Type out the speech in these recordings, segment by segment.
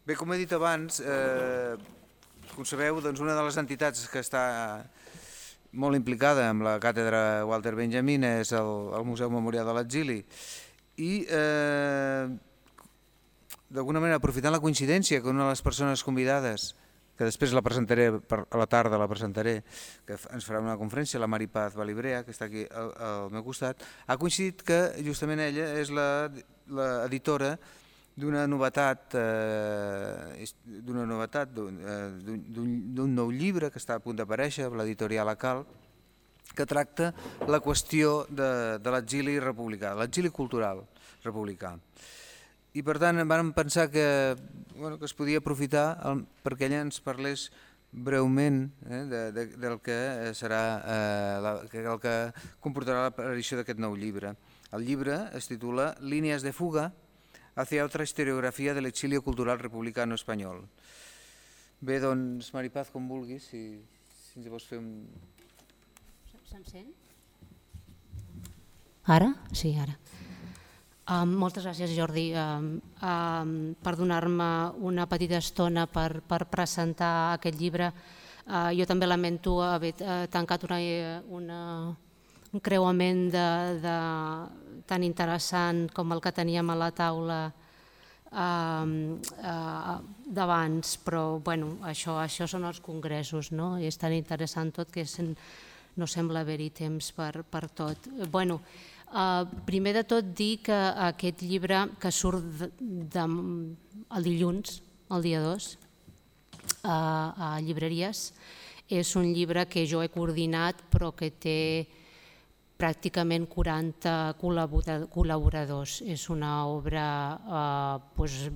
Bé, com he dit abans, com sabeu, una de les entitats que està molt implicada amb la càtedra Walter Benjamin és el Museu Memorial de l'Exili i d'alguna manera aprofitant la coincidència que una de les persones convidades, que després la presentaré, a la tarda la presentaré, que ens farà una conferència, la Mari Paz Balibrea, que està aquí al meu costat, ha coincidit que justament ella és l'editora d'una novetat, d'un nou llibre que està a punt d'aparèixer, l'editorial Acal, que tracta la qüestió de l'exili republicà, l'exili cultural republicà. I per tant vam pensar que es podia aprofitar perquè ella ens parlés breument del que serà el que comportarà l'aparició d'aquest nou llibre. El llibre es titula Línies de fuga hacia otra historiografia de l'exilio cultural republicano espanyol. Bé, doncs, Mari Paz, com vulguis, si ens vols fer un... Se'm sent? Ara? Sí, ara. Moltes gràcies, Jordi, per donar-me una petita estona per presentar aquest llibre. Jo també lamento haver tancat un creuament tan interessant com el que teníem a la taula d'abans, però això són els congressos, no? És tan interessant tot que no sembla haver-hi temps per tot. Primer de tot dir que aquest llibre que surt el dilluns, el dia 2, a llibreries, és un llibre que jo he coordinat però que té pràcticament 40 col·laboradors. És una obra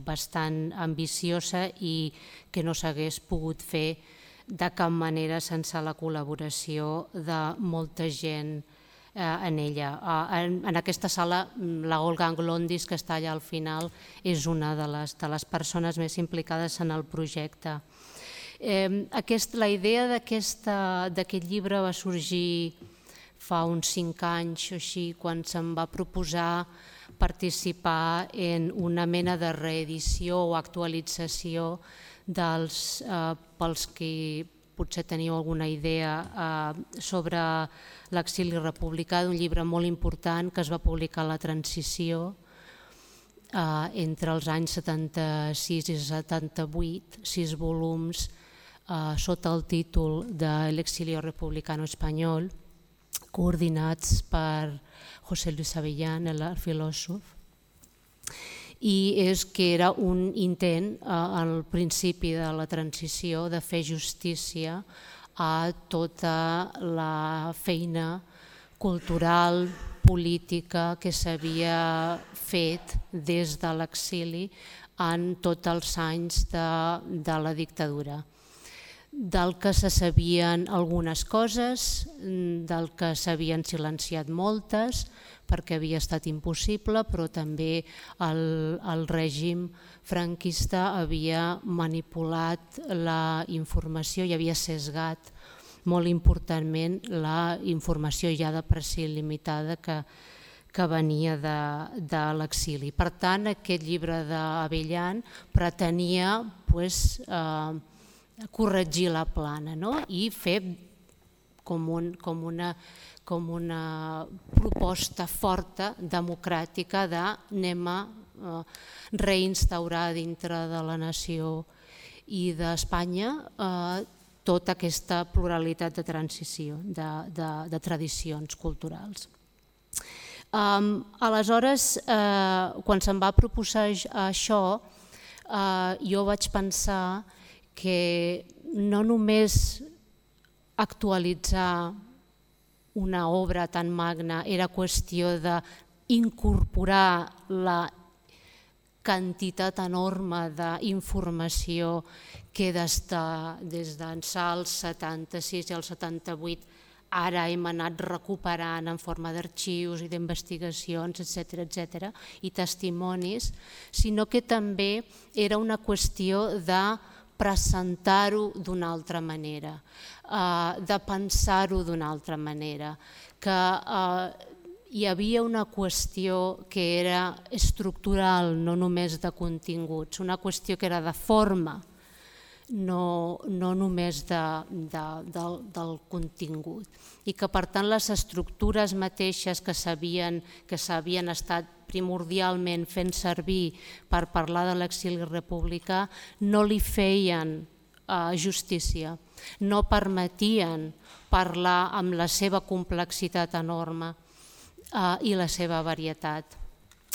bastant ambiciosa i que no s'hagués pogut fer de cap manera sense la col·laboració de molta gent en ella. En aquesta sala, la Olga Anglondis, que està allà al final, és una de les persones més implicades en el projecte. La idea d'aquest llibre va sorgir fa uns 5 anys o així, quan se'm va proposar participar en una mena de reedició o actualització pels que potser teniu alguna idea sobre l'exili republicà, d'un llibre molt important que es va publicar a la transició entre els anys 76 i 78, 6 volums sota el títol de L'exilio republicano espanyol, coordinats per José Luis Avellán, el filòsof, i és que era un intent al principi de la transició de fer justícia a tota la feina cultural, política que s'havia fet des de l'exili en tots els anys de la dictadura. Del que se sabien algunes coses, del que s'havien silenciat moltes, perquè havia estat impossible, però també el règim franquista havia manipulat la informació i havia sesgat molt importantment la informació ja de per si limitada que venia de l'exili. Per tant, aquest llibre d'Avellán pretenia corregir la plana i fer com una proposta forta, democràtica, d'anem a reinstaurar dintre de la nació i d'Espanya tota aquesta pluralitat de transició, de tradicions culturals. Aleshores, quan se'm va proposar això, jo vaig pensar que no només actualitzar una obra tan magna era qüestió d'incorporar la quantitat enorme d'informació que des d'ençà el 76 i el 78 ara hem anat recuperant en forma d'arxius i d'investigacions, etc., i testimonis, sinó que també era una qüestió de presentar-ho d'una altra manera, de pensar-ho d'una altra manera, que hi havia una qüestió que era estructural, no només de continguts, una qüestió que era de forma, no només del contingut, i que per tant les estructures mateixes que s'havien estat primordialment fent servir per parlar de l'exili republicà no li feien justícia, no permetien parlar amb la seva complexitat enorme i la seva varietat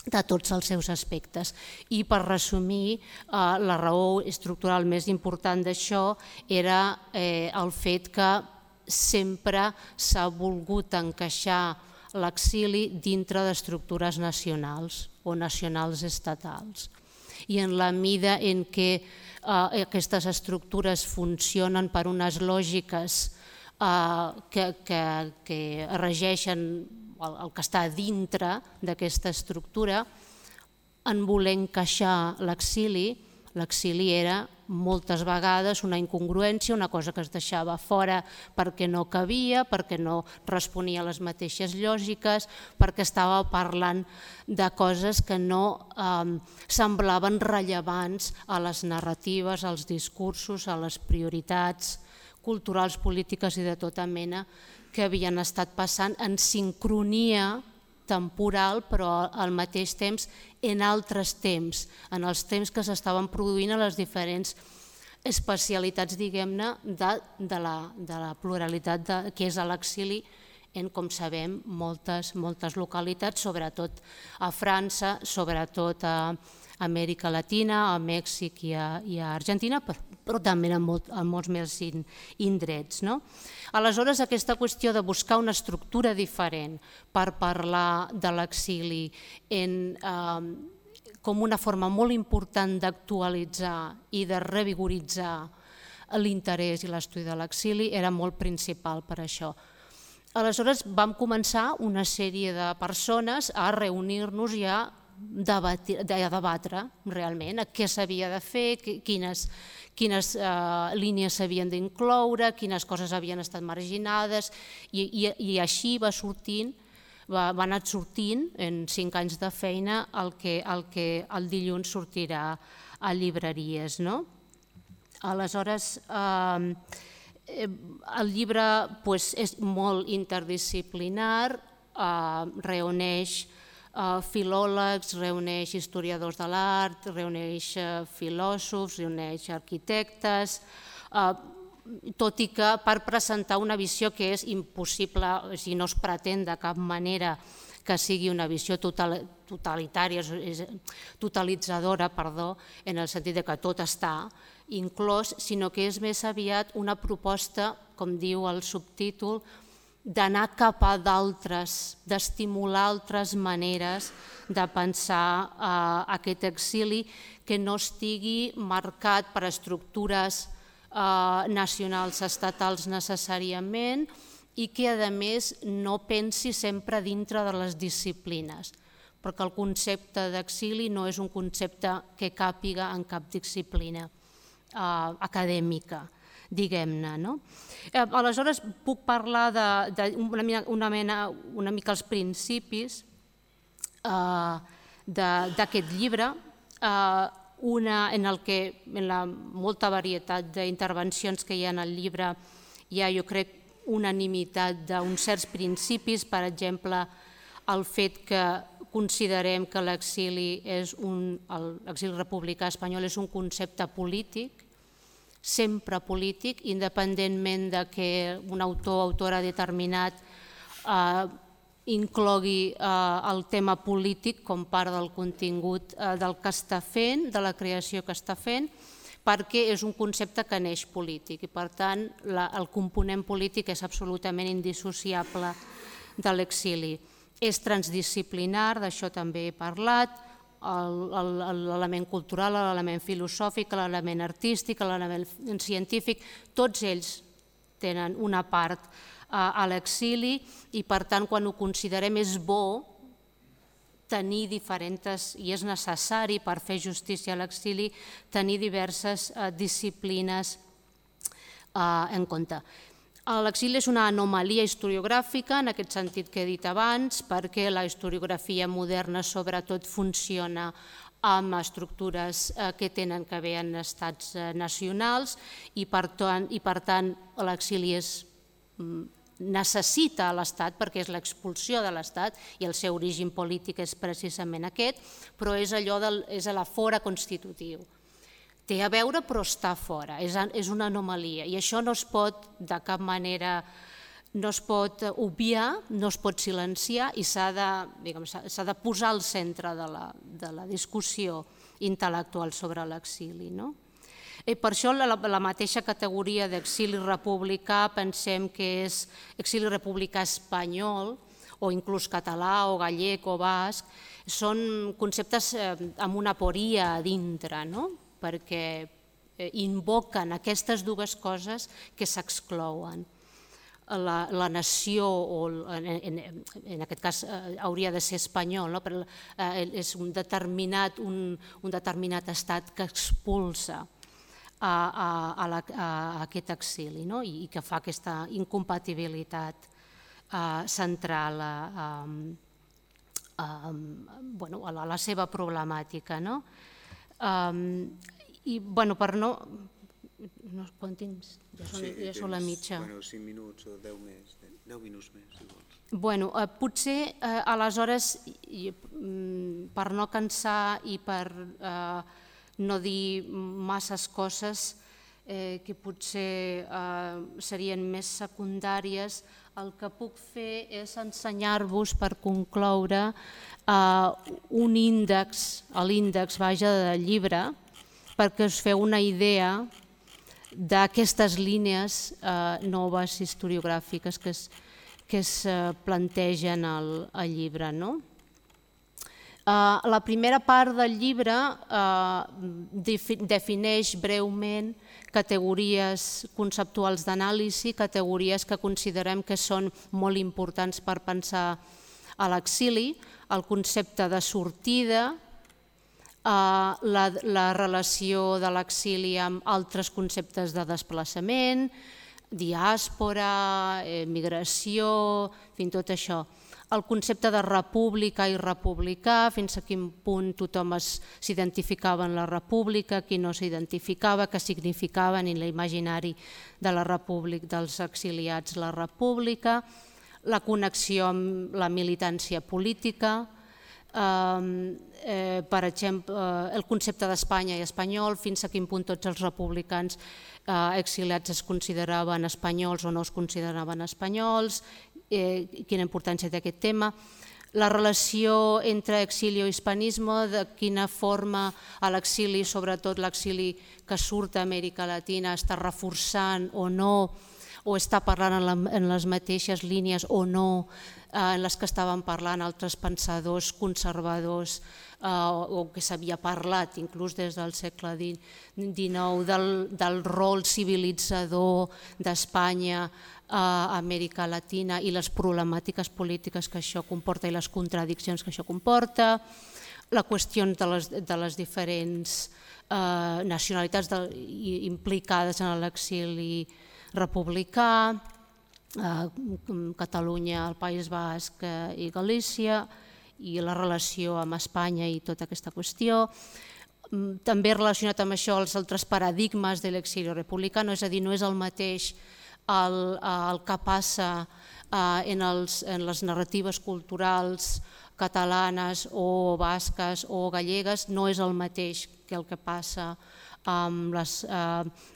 de tots els seus aspectes. I per resumir, la raó estructural més important d'això era el fet que sempre s'ha volgut encaixar l'exili dintre d'estructures nacionals o nacionals estatals. I en la mida en què aquestes estructures funcionen per unes lògiques que regeixen el que està dintre d'aquesta estructura, en voler encaixar l'exili, l'exili era moltes vegades una incongruència, una cosa que es deixava fora perquè no cabia, perquè no responia a les mateixes lògiques, perquè estava parlant de coses que no semblaven rellevants a les narratives, als discursos, a les prioritats culturals, polítiques i de tota mena que havien estat passant en sincronia temporal, però al mateix temps en altres temps, en els temps que s'estaven produint a les diferents especialitats, diguem-ne, de la pluralitat que és l'exili en, com sabem, moltes localitats, sobretot a França, sobretot a Amèrica Latina, a Mèxic i a Argentina, però també en molts més indrets. Aleshores, aquesta qüestió de buscar una estructura diferent per parlar de l'exili com una forma molt important d'actualitzar i de revigoritzar l'interès i l'estudi de l'exili era molt principal per això. Aleshores vam començar una sèrie de persones a reunir-nos i a debatre realment què s'havia de fer, quines línies s'havien d'incloure, quines coses havien estat marginades, i així va anar sortint en 5 anys de feina el que el dilluns sortirà a llibreries. Aleshores, el llibre és molt interdisciplinar, reuneix filòlegs, reuneix historiadors de l'art, reuneix filòsofs, reuneix arquitectes, tot i que per presentar una visió que és impossible, si no es pretén de cap manera que sigui una visió totalitària, totalitzadora, en el sentit que tot està inclòs, sinó que és més aviat una proposta, com diu el subtítol, d'anar cap a d'altres, d'estimular altres maneres de pensar aquest exili que no estigui marcat per estructures nacionals estatals necessàriament i que a més no pensi sempre dintre de les disciplines, perquè el concepte d'exili no és un concepte que càpiga en cap disciplina acadèmica, diguem-ne. Aleshores puc parlar una mica els principis d'aquest llibre, en la molta varietat d'intervencions que hi ha en el llibre hi ha, jo crec, unanimitat d'uns certs principis, per exemple, el fet que considerem que l'exili republicà espanyol és un concepte polític, sempre polític, independentment de que un autor o autora determinat inclogui el tema polític com part del contingut del que està fent, de la creació que està fent, perquè és un concepte que neix polític i, per tant, el component polític és absolutament indissociable de l'exili. És transdisciplinar, d'això també he parlat, l'element cultural, l'element filosòfic, l'element artístic, l'element científic, tots ells tenen una part a l'exili i, per tant, quan ho considerem és bo tenir diferents, i és necessari per fer justícia a l'exili, tenir diverses disciplines en compte. L'exili és una anomalia historiogràfica, en aquest sentit que he dit abans, perquè la historiografia moderna sobretot funciona amb estructures que tenen que veure en estats nacionals i per tant l'exili necessita l'Estat perquè és l'expulsió de l'Estat i el seu origen polític és precisament aquest, però és a la fora constitutiu. Té a veure però està fora, és una anomalia i això no es pot de cap manera, no es pot obviar, no es pot silenciar i s'ha de posar al centre de la discussió intel·lectual sobre l'exili. Per això la mateixa categoria d'exili republicà pensem que és exili republicà espanyol o inclús català o gallec o basc, són conceptes amb una aporia a dintre, perquè invoquen aquestes dues coses que s'exclouen. La nació, en aquest cas hauria de ser espanyol, però és un determinat estat que expulsa a aquest exili i que fa aquesta incompatibilitat central a la seva problemàtica. I per no... Quant temps? Ja són la mitja. 5 minuts o 10 minuts més, si vols. Potser aleshores, per no cansar i per no dir masses coses que potser serien més secundàries, el que puc fer és ensenyar-vos, per concloure, un índex, l'índex del llibre, perquè us feu una idea d'aquestes línies noves historiogràfiques que es plantegen al llibre. La primera part del llibre defineix breument categories conceptuals d'anàlisi, categories que considerem que són molt importants per pensar a l'exili, el concepte de sortida, la relació de l'exili amb altres conceptes de desplaçament, diàspora, migració, tot això. El concepte de república i republicà, fins a quin punt tothom s'identificava en la república, qui no s'identificava, què significava en l'imaginari de la república dels exiliats la república, la connexió amb la militància política, per exemple, el concepte d'Espanya i espanyol, fins a quin punt tots els republicans exiliats es consideraven espanyols o no es consideraven espanyols, quina importància té aquest tema, la relació entre exili i hispanisme, de quina forma l'exili, sobretot l'exili que surt d'Amèrica Latina, està reforçant o no, o està parlant en les mateixes línies o no en les que estaven parlant altres pensadors conservadors o que s'havia parlat inclús des del segle XIX del rol civilitzador d'Espanya a Amèrica Latina i les problemàtiques polítiques que això comporta i les contradiccions que això comporta, la qüestió de les diferents nacionalitats implicades en l'exili republicà, Catalunya, el País Basc i Galícia, i la relació amb Espanya i tota aquesta qüestió. També relacionat amb això els altres paradigmes de l'exili republicà, és a dir, no és el mateix el que passa en les narratives culturals catalanes o basques o gallegues, no és el mateix que el que passa amb les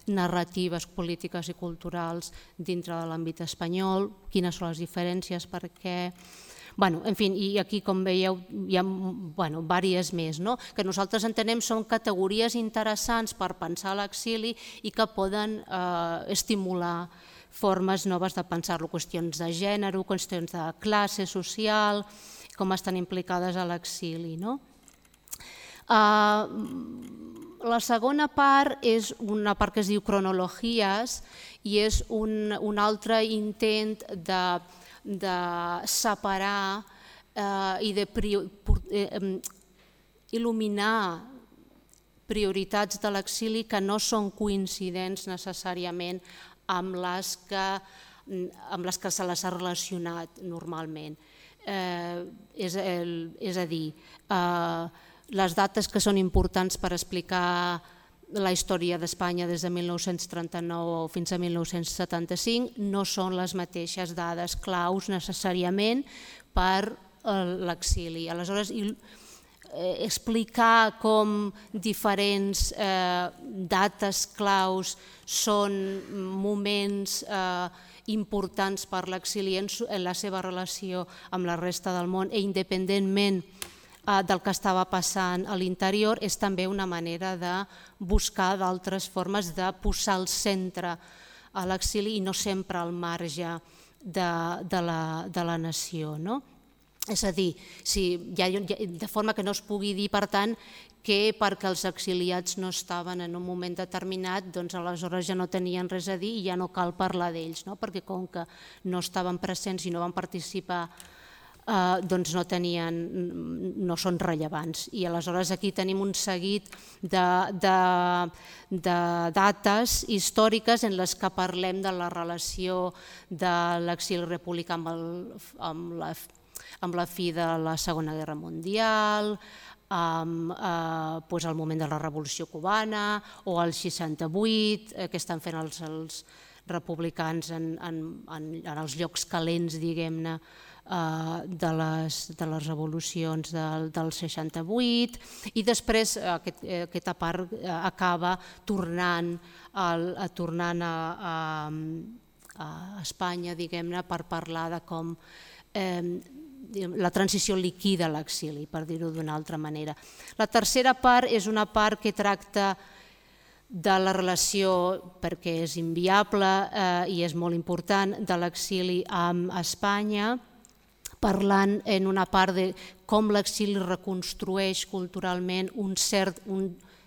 narratives polítiques i culturals dintre de l'àmbit espanyol, quines són les diferències, per què... En fi, i aquí, com veieu, hi ha diverses més, que nosaltres entenem són categories interessants per pensar l'exili i que poden estimular formes noves de pensar-lo, qüestions de gènere, qüestions de classe social, com estan implicades a l'exili. La segona part és una part que es diu cronologies i és un altre intent de separar i d'il·luminar prioritats de l'exili que no són coincidents necessàriament amb les que amb les que se les ha relacionat normalment. És a dir, les dates que són importants per explicar la història d'Espanya des de 1939 fins a 1975 no són les mateixes dades claus necessàriament per l'exili. Aleshores, explicar com diferents dates claus són moments importants per l'exili en la seva relació amb la resta del món i independentment del que estava passant a l'interior és també una manera de buscar d'altres formes de posar al centre a l'exili i no sempre al marge de la nació. És a dir, de forma que no es pugui dir, per tant, que perquè els exiliats no estaven en un moment determinat, doncs aleshores ja no tenien res a dir i ja no cal parlar d'ells, perquè com que no estaven presents i no van participar, doncs no són rellevants. I aleshores aquí tenim un seguit de dates històriques en les que parlem de la relació de l'exili republicà amb la fi de la Segona Guerra Mundial, amb el moment de la Revolució Cubana o el 68, que estan fent els republicans en els llocs calents, diguem-ne, de les revolucions del 68 i després aquesta part acaba tornant a Espanya, diguem-ne, per parlar de com la transició liquida l'exili, per dir-ho d'una altra manera. La tercera part és una part que tracta de la relació, perquè és inviable i és molt important, de l'exili amb Espanya, parlant en una part de com l'exili reconstrueix culturalment un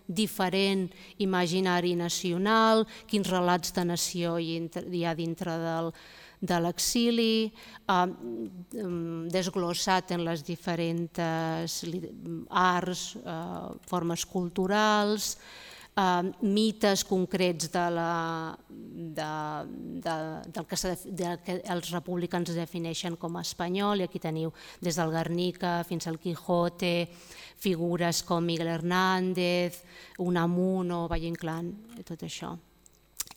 diferent imaginari nacional, quins relats de nació hi ha dintre de l'exili, desglossat en les diferents arts, formes culturals, mites concrets del que els republicans defineixen com a espanyol, i aquí teniu des del Guernica fins al Quijote, figures com Miguel Hernández, Unamuno, Valle Inclán, tot això.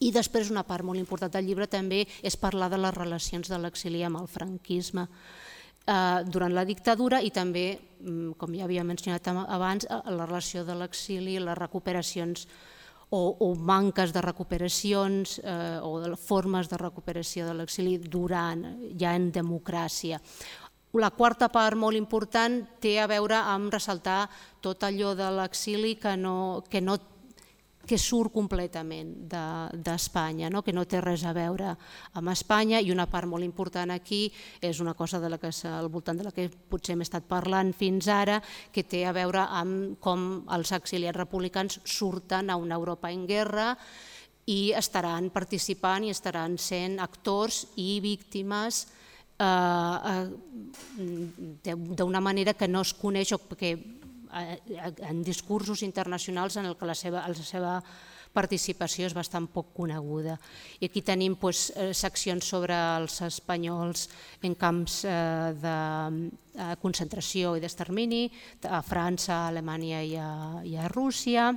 I després una part molt important del llibre també és parlar de les relacions de l'exili amb el franquisme durant la dictadura i també, com ja havia mencionat abans, la relació de l'exili, les recuperacions o manques de recuperacions o de formes de recuperació de l'exili durant, ja en democràcia. La quarta part molt important té a veure amb ressaltar tot allò de l'exili que surt completament d'Espanya, que no té res a veure amb Espanya, i una part molt important aquí és una cosa al voltant de la que potser hem estat parlant fins ara, que té a veure amb com els exiliats republicans surten a una Europa en guerra i estaran participant i estaran sent actors i víctimes d'una manera que no es coneix o que en discursos internacionals en què la seva participació és bastant poc coneguda. I aquí tenim seccions sobre els espanyols en camps de concentració i d'extermini a França, a Alemanya i a Rússia.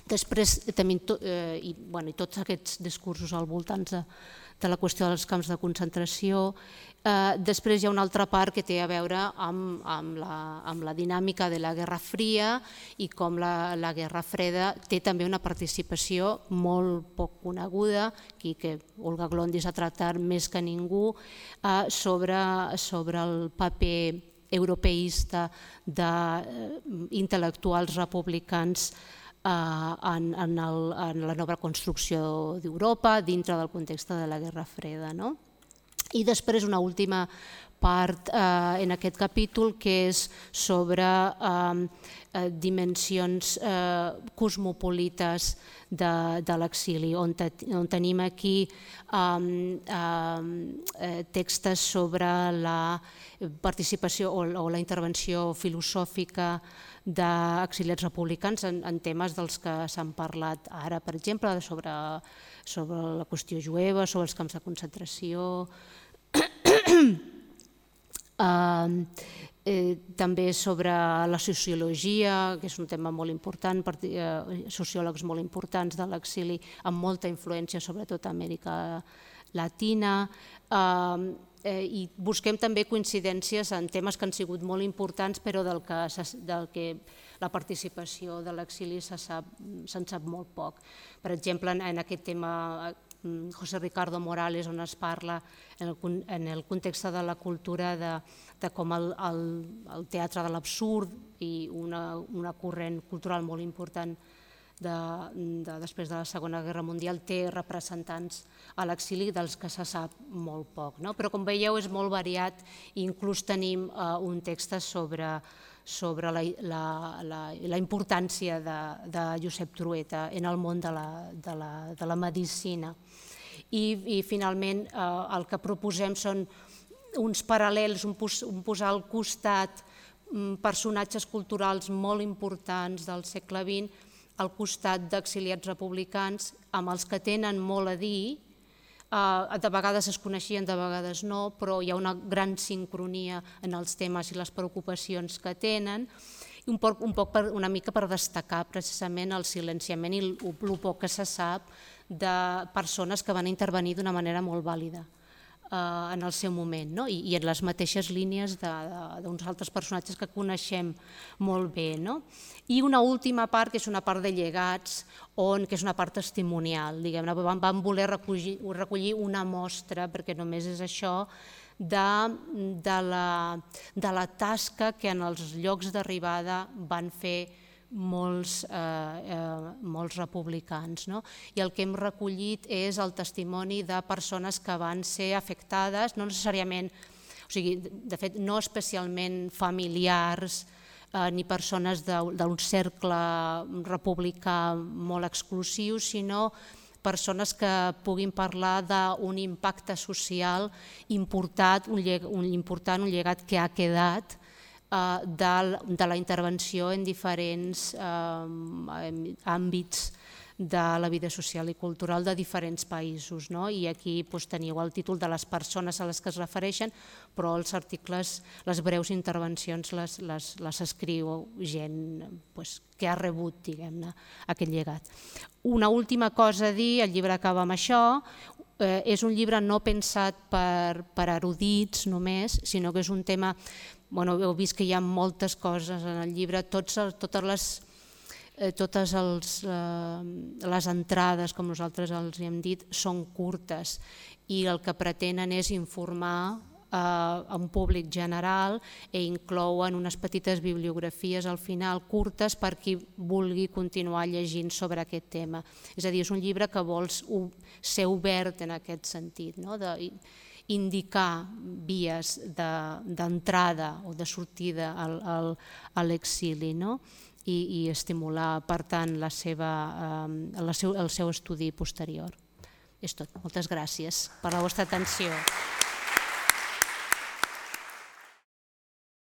Després tenim tots aquests discursos al voltant de la qüestió dels camps de concentració. Després hi ha una altra part que té a veure amb la dinàmica de la Guerra Fria i com la Guerra Freda té també una participació molt poc coneguda, que Olga Glondis ha tractat més que ningú, sobre el paper europeista d'intel·lectuals republicans en la nova construcció d'Europa dintre del context de la Guerra Freda. I després una última part en aquest capítol que és sobre dimensions cosmopolites de l'exili, on tenim aquí textos sobre la participació o la intervenció filosòfica d'exiliats republicans en temes dels que s'han parlat ara, per exemple, sobre la qüestió jueva, sobre els camps de concentració, també sobre la sociologia, que és un tema molt important, sociòlegs molt importants de l'exili amb molta influència sobretot a Amèrica Latina, i busquem també coincidències en temes que han sigut molt importants però del que la participació de l'exili se'n sap molt poc. Per exemple, en aquest tema José Ricardo Morales, on es parla en el context de la cultura de com el teatre de l'absurd i una corrent cultural molt important després de la Segona Guerra Mundial té representants a l'exili dels que se sap molt poc. Però com veieu és molt variat i inclús tenim un text sobre la importància de Josep Trueta en el món de la medicina. I finalment el que proposem són uns paral·lels, un posar al costat personatges culturals molt importants del segle XX al costat d'exiliats republicans amb els que tenen molt a dir, de vegades es coneixien, de vegades no, però hi ha una gran sincronia en els temes i les preocupacions que tenen, i una mica per destacar precisament el silenciament i el poc que se sap de persones que van intervenir d'una manera molt vàlida en el seu moment i en les mateixes línies d'uns altres personatges que coneixem molt bé. I una última part, que és una part de llegats, que és una part testimonial. Vam voler recollir una mostra, perquè només és això, de la tasca que en els llocs d'arribada van fer molts republicans. I el que hem recollit és el testimoni de persones que van ser afectades, no necessàriament, de fet no especialment familiars ni persones d'un cercle republicà molt exclusiu, sinó persones que puguin parlar d'un impacte social important, un llegat que ha quedat de la intervenció en diferents àmbits de la vida social i cultural de diferents països. I aquí teniu el títol de les persones a les que es refereixen, però els articles, les breus intervencions les escriu gent que ha rebut aquest llegat. Una última cosa a dir, el llibre acaba amb això, és un llibre no pensat per erudits només, sinó que és un tema. Heu vist que hi ha moltes coses en el llibre, totes les entrades, com nosaltres els hem dit, són curtes i el que pretenen és informar a un públic general i inclouen unes petites bibliografies al final curtes per qui vulgui continuar llegint sobre aquest tema. És a dir, és un llibre que vols ser obert en aquest sentit, indicar vies d'entrada o de sortida a l'exili i estimular, per tant, el seu estudi posterior. És tot. Moltes gràcies per la vostra atenció.